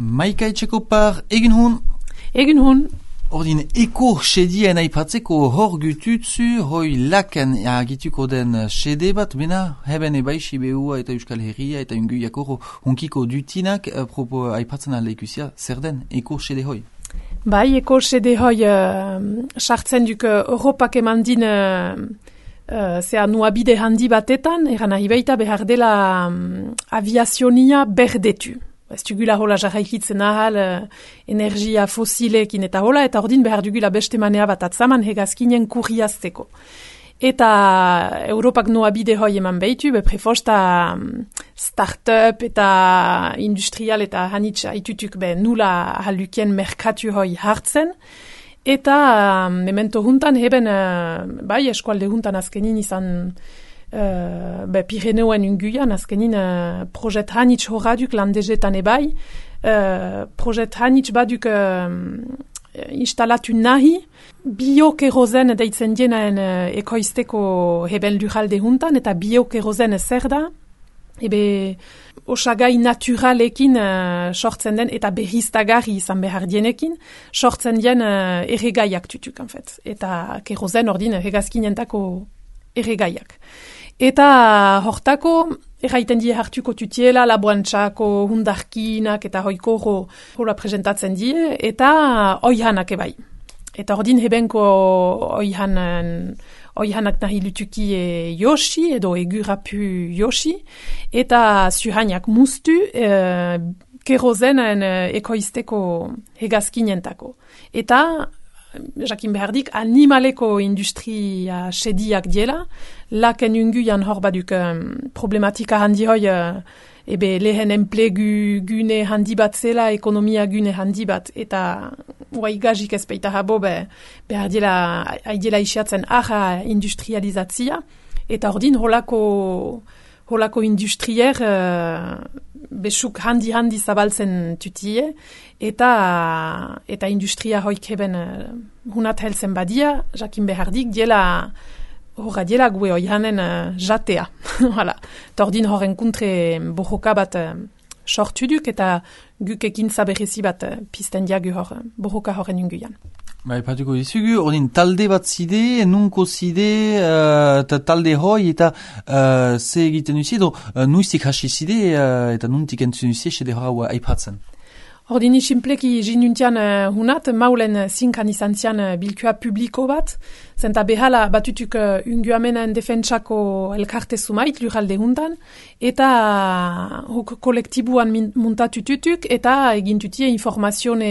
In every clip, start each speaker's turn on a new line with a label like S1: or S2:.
S1: Maika Etxekopar, egin hun?
S2: Egin hun.
S1: Ordin eko sedien aipatzeko hor gututzu, hoi laken agituko den sede bat, bena heben ebaixi behua eta Euskal Herria eta unguiako hunkiko dutinak aipatzen aleikusia, zer den eko sede hoi?
S2: Bai, eko sede hoi sartzen duk Europak eman din zea nuabide handi batetan, eran nahi baita behar dela aviazionia berdetu. Ez dugula hola jarraikitzen ahal energia fosilekin eta hola, eta ordin behar dugula beste manea bat atzaman hegazkinen kurriazteko. Eta Europak noa bide hoi eman behitu, prefosta start-up eta industrial eta hanitz haitutuk nula halukien merkatu hoi hartzen. Eta memento juntan heben, bai eskualde juntan azkenin izan Pireneoen unguian, azkenin projet hanitz horraduk landezetan ebai, projet hanitz baduk instalatu nahi, biokerozen deitzen dienaen ekoizteko heben lurralde juntan, eta biokerozen zer da, osagai naturalekin sortzen den, eta berriztagarri izan behar dienekin, sortzen dien erregaiak tutuk, en fait. Eta kerozen ordin hegazkinentako erregaiak. Eta hortako, erraiten die hartuko tutiela, laboantzako, hundarkinak eta hoiko hola presentatzen die, eta oihanak ebai. Eta ordin hebenko oihanak nahi lutuki josi, edo egurapu josi, eta zuhainak mustu, kerozenen ekoizteko hegazkinentako. Eta jakin behardik, animaleko industria sediak diela, laken unguian hor baduk problematika handi hoi, lehen enplegu gune handi bat zela, ekonomia gune handi bat, eta gazik ez peita habo, behar diela isiatzen aha industrializatzia, eta ordin holako industrier besuk handi zabaltzen tutie, eta industria hoik heben hunat helzen badia, jakin behardik diela gue oihanen jatea. Tordin horren kontre bohoka bat sortuduk, eta guk ekintza berezi bat pizten diagu bohoka horren unguian.
S1: Patuko dizugu, ordin talde bat zide, nunko zide, eta talde hoi, eta ze egiten duzie, nuiztik hasi zide, eta nuntik entzun duzie, sede hora aipatzen.
S2: Ordini simpleki jinuntian hunat, maulen zinkan izan zian bilkua publiko bat, zenta behala batutuk unguamenen defentsako elkarte sumait lurralde hundan, eta kolektibuan muntatututuk, eta egintutie informazione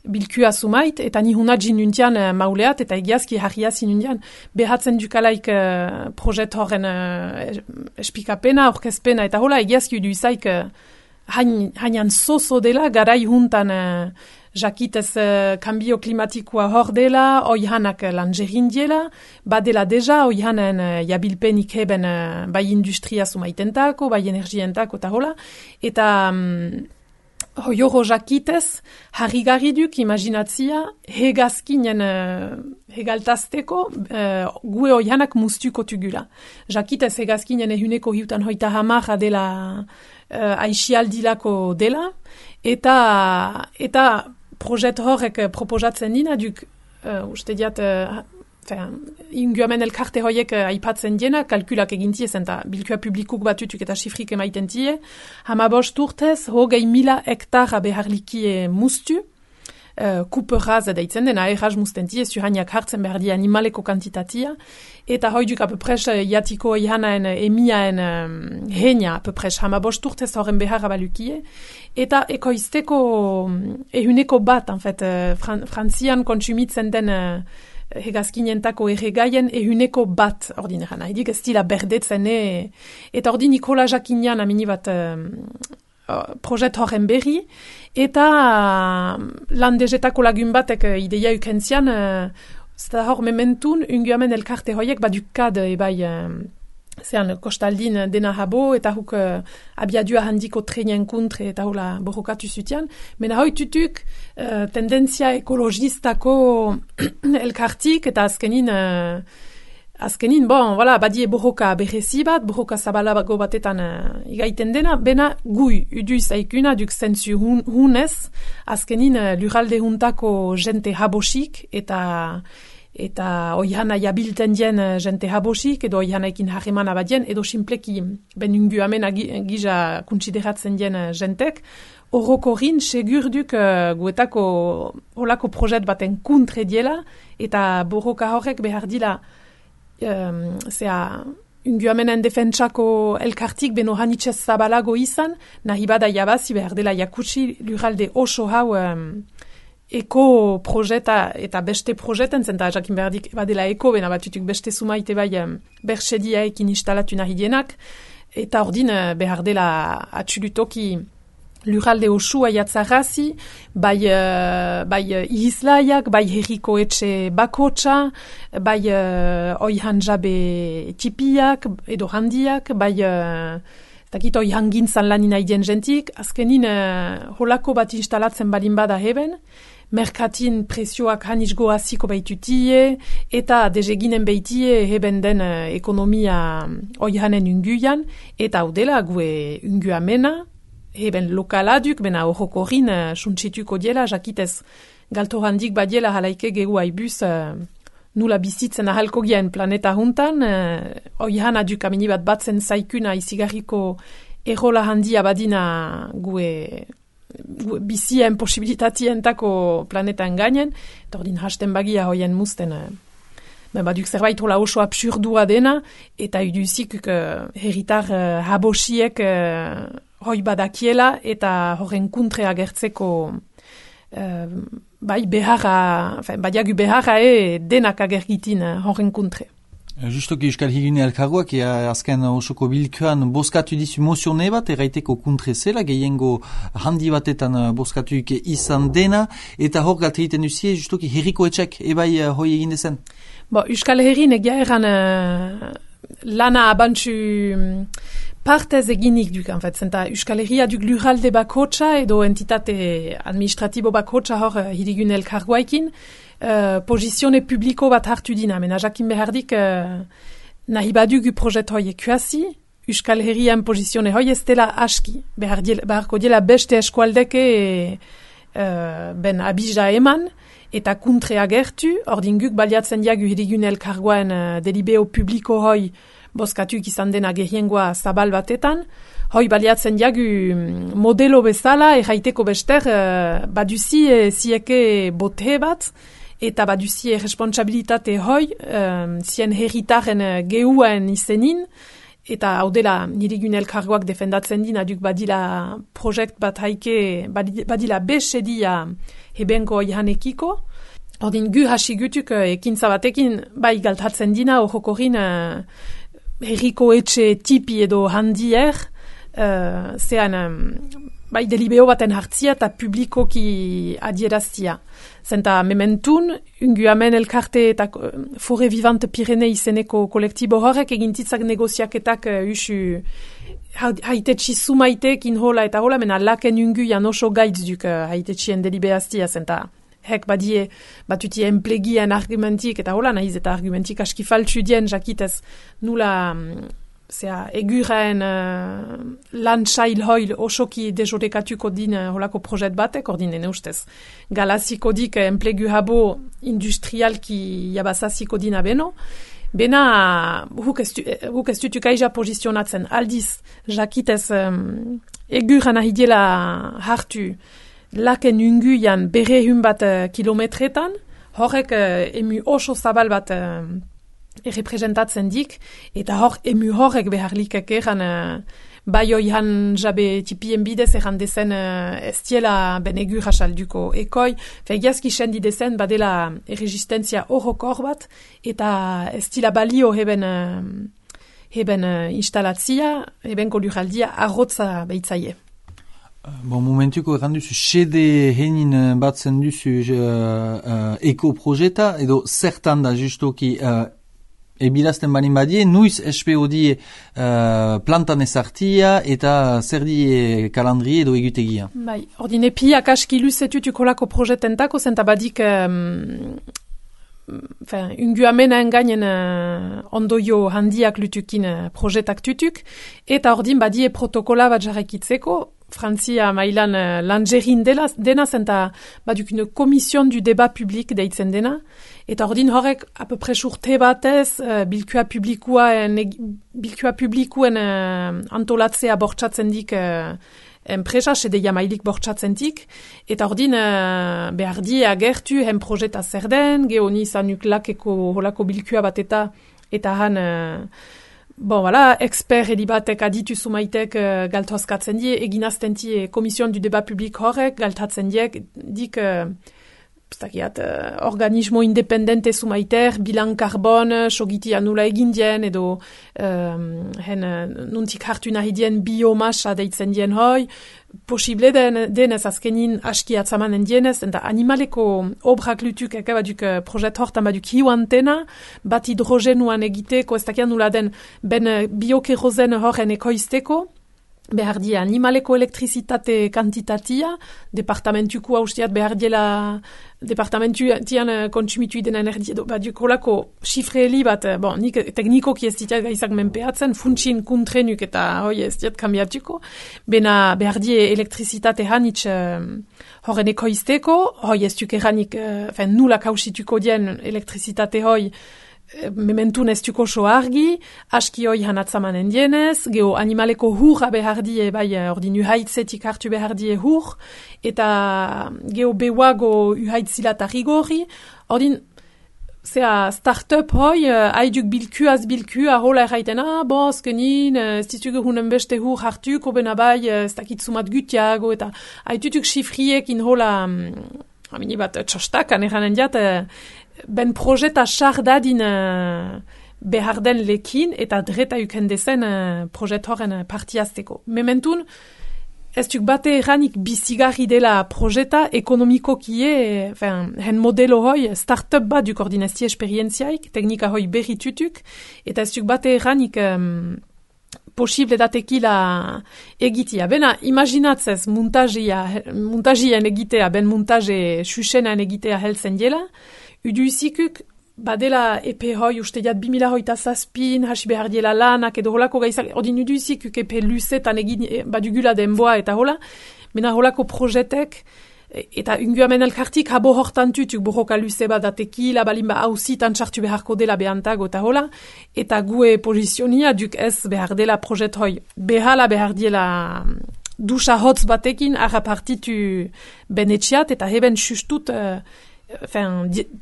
S2: bilkua sumait, eta ni hunat jinuntian mauleat, eta egiazki harria zinuntian, behatzen dukalaik projet horren espikapena, orkezpena, eta hola egiazki uduizaik hainan zozo dela, garai juntan jakitez kambio klimatikoa hor dela, oihanak langerin diela, badela deja, oihanen jabilpenik heben bai industria sumaitentako, bai energientako, eta hola, eta hoioro jakitez, harrigarri duk imaginatzia, hegazkinen hegaltazteko, gue oihanak mustuko tugula. Jakitez hegazkinen ehuneko hiutan hoita hamarra dela aixialdilako dela, eta projet horrek proposatzen dina, duk, uste diat, inguamen elkarte horiek aipatzen diena, kalkulak egintie zen, eta bilkua publikuk batutuk eta sifrik emaiten tie, 15 urtez, 20.000 hektara beharlikie mustu, kuperaz deitzen den, aerraz mustentie, zuhaniak hartzen behar di animaleko kantitatia, eta hoiduk apepres jatiko ihanaen emiaen heina apepres 15 urtez horren beharra balukie, eta ekoizteko ehuneko bat, en fait, frantzian kontsumitzen den hegazkinentako erregaien ehuneko bat ordineran. Haidik ez dila berdetzen, eta ordin Nikola Jakinian amini bat projet horren berri, eta landezetako lagun batek ideia ukentzian, zeta hor mementun, unguamen elkarte hoiek badukad ebai zean kostaldin dena habo, eta huk abiadua handiko trenien kontre eta hola borrokatu zutian, mena hoi tutuk tendentzia ekologistako elkartik, eta azkenin azkenin, voilà, badie borroka berrezi bat, borroka zabalago batetan igaiten dena, bena gui uduiz aikuna duk zentzu hunez, azkenin lurralde juntako jente habosik eta oihana jabilten dien jente habosik, edo oihanaikin harremana badien, edo simpleki ben ungu amena gisa kontsideratzen dien jentek, horrokorin segurduk guetako holako projet baten kontre diela, eta borroka horrek behar dila ungu amenen defentsako elkartik beno hanitzez zabalago izan, nahi bada jabazi behar dela jakutsi lurralde oso hau eko projeta eta beste projeten zenta jakin berdik badela eko bena batutuk beste sumaite bai bersediaekin instalatu nahi dienak eta ordin behar dela atxulutoki lurralde osua jatzarrazi, bai ihislaiak, bai herriko etxe bakotsa, bai oihan jabe tipiak edo handiak, bai takit oihan gintzan lanin haidien jentik, azkenin holako bat instalatzen balin bada heben, merkatin presioak hanisgo hasiko baitutie, eta dezeginen baitie heben den ekonomia oihanen unguian, eta haudela gue ungu amena, heben lokaladuk, bena horrokorin suntsituko diela, jakitez galtorandik badiela halaike gegu haibuz nula bizitzen ahalko gien planeta juntan, oihan aduk amini bat batzen zaikuna izigarriko errola handia badina gue bizien posibilitatientako planetan gainen, eta ordin hasten bagia hoien musten baduk zerbait hola oso absurdua dena, eta iduzik herritar habosiek hoi badakiela eta horren kontre agertzeko badiagu beharra denak agergitin horren kontre.
S1: Justoki Euskal Herrigune elkargoak azken osoko bilkuan boskatu dizu mozione bat erraiteko kontre zela, gehiengo handi batetan boskatuik izan dena, eta hor galt egiten duzie justoki herriko etxek ebai hoi egin dezen?
S2: Euskal Herrin egia erran lana abantzu partez eginik duk, zenta Euskal Herria duk lurralde bakotsa edo entitate administratibo bakotsa hor Herrigune elkargoaikin, posizione publiko bat hartu dina, mena jakin behardik nahi badugu projet hoi ekuasi, Euskal Herrian posizione hoi ez dela aski, beharko dela beste eskualdeke ben abija eman, eta kontre agertu, ordin guk baliatzen diagu Herrigune elkargoen delibeo publiko hoi boskatuk izan dena gehiengoa zabal batetan, hoi baliatzen diagu modelo bezala, erraiteko bester baduzi zieke bote bat, eta baduzi responsabilitate hoi, zien herritaren geuen izenin, eta hau dela Herrigune elkargoak defendatzen din, aduk badila projekt bat haike, badila besedia hebenko oihanekiko, ordin gu hasi gutuk ekintza batekin bai galtatzen dina horrokorin herriko etxe tipi edo handier, bai delibeo baten hartzia eta publikoki adieraztia. Zenta mementun, ungu amen elkarte eta Fore Vivante Pirene izeneko kolektibo horrek egintitzak negoziaketak usu haitetxi sumaitek inhola eta hola, mena laken ungu jan oso gaitzuk haitetxien delibeaztia, zenta hek badie batutie enplegien argumentik eta hola, nahiz eta argumentik aski faltsu dien jakitez nula eguraen lantsail hoil osoki dejorekatuko din holako projet batek, ordin ene ustez galaziko dik enplegu habo industrialki jabazaziko dina beno, bena huk ez dutuk aija posizionatzen aldiz jakitez eguran ahidiela hartu laken unguian berrehun bat kilometretan, horrek emu oso zabal bat errepresentatzen dik, eta hor emu horrek beharlikek eran bai oihan jabe tipien bidez eran dezen ez diela ben egur asalduko ekoi, fegiazki sendi dezen badela erresistentzia horrokor bat, eta ez dila balio heben instalatzia, hebenko lurraldia arrotza behitzaie.
S1: Momentuko erran duzu, sede henin batzen duzu eko-projeta, edo zertan da justoki ebilazten balin badie, nuiz SPO die plantan ezartia eta zer die kalandri edo egutegia.
S2: Ordin epiak aski luzetutuk olako projetentako, zenta badik unguamenaen gainen ondoio handiak lutukin projetak tutuk, eta ordin badie protokola bat jarraikitzeko, Frantzia mailan langerin dena zenta badukune komision du débat publik deitzen dena, eta ordin horrek apopres urte batez bilkua publikuen antolatzea bortxatzen dik enpresa, sedeia mailik bortxatzen dik, eta ordin behar di agertu hen projeta zer den, geho nizanuk lakeko holako bilkua bat eta han bon, voilà, expert edibatek aditu sumaitek galtozkatzen die, eginazten die komision du débat publik horrek, galtatzen dik organismo independente sumaiter, bilan karbon, sogiti anula egin dien, edo nuntik hartu nahi dien biomasa deitzen dien hoi, posible denez azkenin aski atzamanen dienez, eta animaleko obrak lutuk baduk projet hortan baduk hiu antena, bat hidrogenuan egiteko, ez dakian nula den ben biokerozen horren ekoizteko, behar di animaleko elektrizitate kantitatia, departamentuko haustiat behar diela departamentuan kontsumitu den energia, baduk holako xifreeli bat, bon, nik teknikoki ez ditat gaizak menpeatzen, funtsin kuntrenuk eta hoi ez diat kambiatuko, bena behar di elektrizitate hanitz horren ekoizteko, hoi ez duk eranik, nula kausituko dien elektrizitate hoi, mementun ez duko so argi, aski hoi hanatzamanen dienez, geho animaleko hurra behar die, bai ordin uhaitzetik hartu behar die hur, eta geho bewago uhaitzilat rigori, ordin start-up hoi, haiduk bilkua hola erraiten, azkenin, ez ditugu hunen beste hur hartuko, bena bai, ez dakitzumat gutiago, eta haitutuk xifriekin hola, amini bat txostakan eranen diat, ben projeta xardadin behar den lekin eta dreta ukendezen projet horren partiazteko. Mementun, ez duk bate eranik bizigarri dela projeta ekonomiko kie, hen modelo hoi, start-up bat duk ordinazti esperientziaik, teknika hoi berritutuk, eta ez duk bate eranik posible datekila egitea. Bena, imaginatzez muntagien egitea, ben muntaje xuxenan egitea heltzen dela, uduizikuk badela epe hoi usteiat 2007 hasi behar diela lanak edo holako gaizak, ordin uduizikuk epe luzetan egin badugula denboa eta hola, mena holako projetek eta unguamen elkartik habo hortan tutuk borroka luze bat datekila, balimba hausitan txartu beharko dela behantago eta hola, eta gue posizionia duk ez behar dela projet hoi. Behala behar diela dusa hotz batekin harrapartitu benetxiat eta heben sustut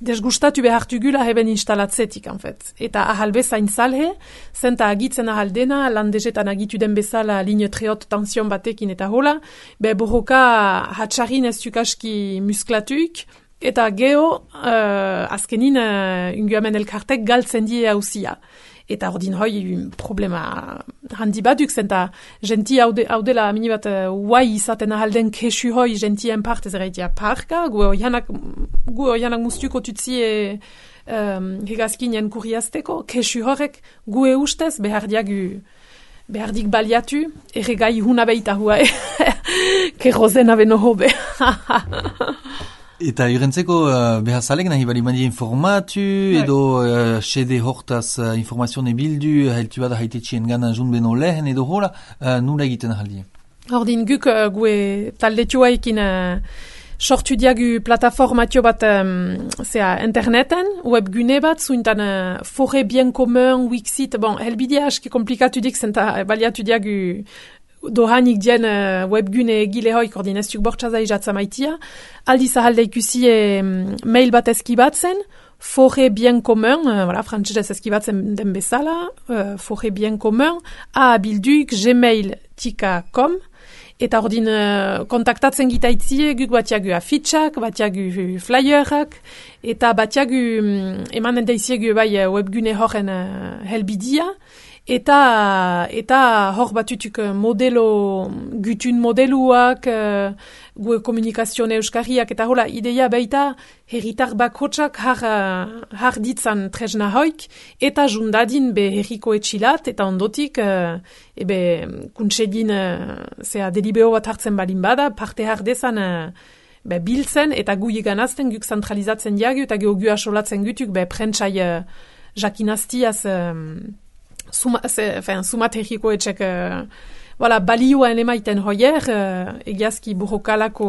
S2: desgustatu behartugula heben instalatzetik, en fait. Eta ahal bezain zalhe, zenta agitzen ahal dena, landezetan agitu den bezala line treot tension batekin eta hola, borroka hatxarin ez dukaski musklatuik, eta geho, azkenin, unguamen elkartek galtzen die hauzia. Eta ordin hoi problema handi baduk, zenta genti haudela mini bat guai izaten ahalden kesu hoi gentien partez eraitia parka, gu oianak mustuko tutzie hegazkinen kuriazteko, kesu horrek gu ustez behardik baliatu, erregai huna behita hua, kerrozen abeno hobe.
S1: Eta jurentzeko behazalek nahi bali mandi informatu edo sede hortaz informazione bildu heltu bada haitetxien gana jun beno lehen edo hola nula egiten ahaldi.
S2: Ordin guk gue taldetuaikin sortu diagu plataformatio bat interneten, webgune bat, zuintan Forêt Bien Commun, Wixit, bon, helbidea aski komplikatu dik zenta baliatu diagu dohanik dien webgune egile hoi koordinaztuk bortxaza izatzamaitia, aldiz ahalde ikusi mail bat eskibatzen, Forêt Bien Commun, frantzesez eskibatzen den bezala, Forêt Bien Commun, abilduik gmail.com, eta ordin kontaktatzen gitaitzie, guk batiagu afitxak, batiagu flyerak, eta batiagu emanen daiziegu bai webgune horren helbidia, eta hor batutuk gutun modeluak, gue komunikazione euskarriak, eta hola, ideia baita herritar bakotsak har ditzan tresna hoik, eta jundadin be herriko etxilat, eta ondotik, kuntsedin delibero bat hartzen balin bada, parte har dezan biltzen eta gu iganazten guk zentralizatzen diagu eta geho gu asolatzen gutuk prentsai jakinaztiaz sumategiko etxek balioen emaiten hoier egiazki burrokalako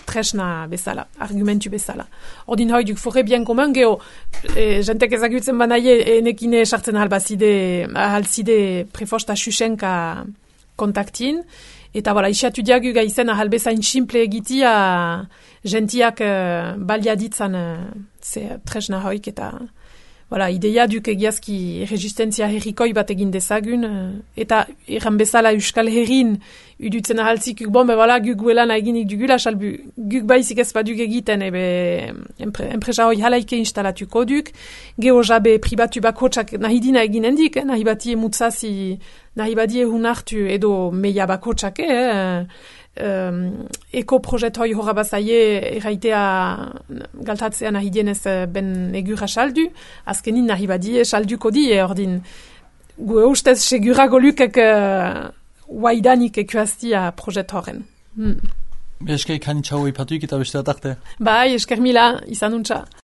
S2: tresna bezala, argumentu bezala. Ordin hoi duk forre bien komen geho jentek ezagutzen banaie enekine sartzen ahalzide prefosta xuxenka kontaktin eta isiatu diagu gaizen ahalbezain simple egitia gentiak baliaditzan tresna hoik eta ideia duk egiazki resistentzia herrikoi bat egin dezagun, eta erran bezala Euskal Herrin udutzen ahaltzik guk guelana eginik dugula, salbu guk baizik ez baduk egiten, enpresa hoi halaike instalatuko duk, geho jabe pribatu bakotsak nahidina eginen dik, nahi batie mutzazi, nahi badie hunartu edo meia bakotsak, eko-projet hoi horra bazaie erraitea galtatzea nahi dienez ben egura saldu, azkenin nahi badie salduko di, ordin gu eustez segurago lukek waidanik ekuaztia projet horren.
S1: Esker kanitxau ipatuik eta beste atarte.
S2: Bai, esker mila, izan untxa.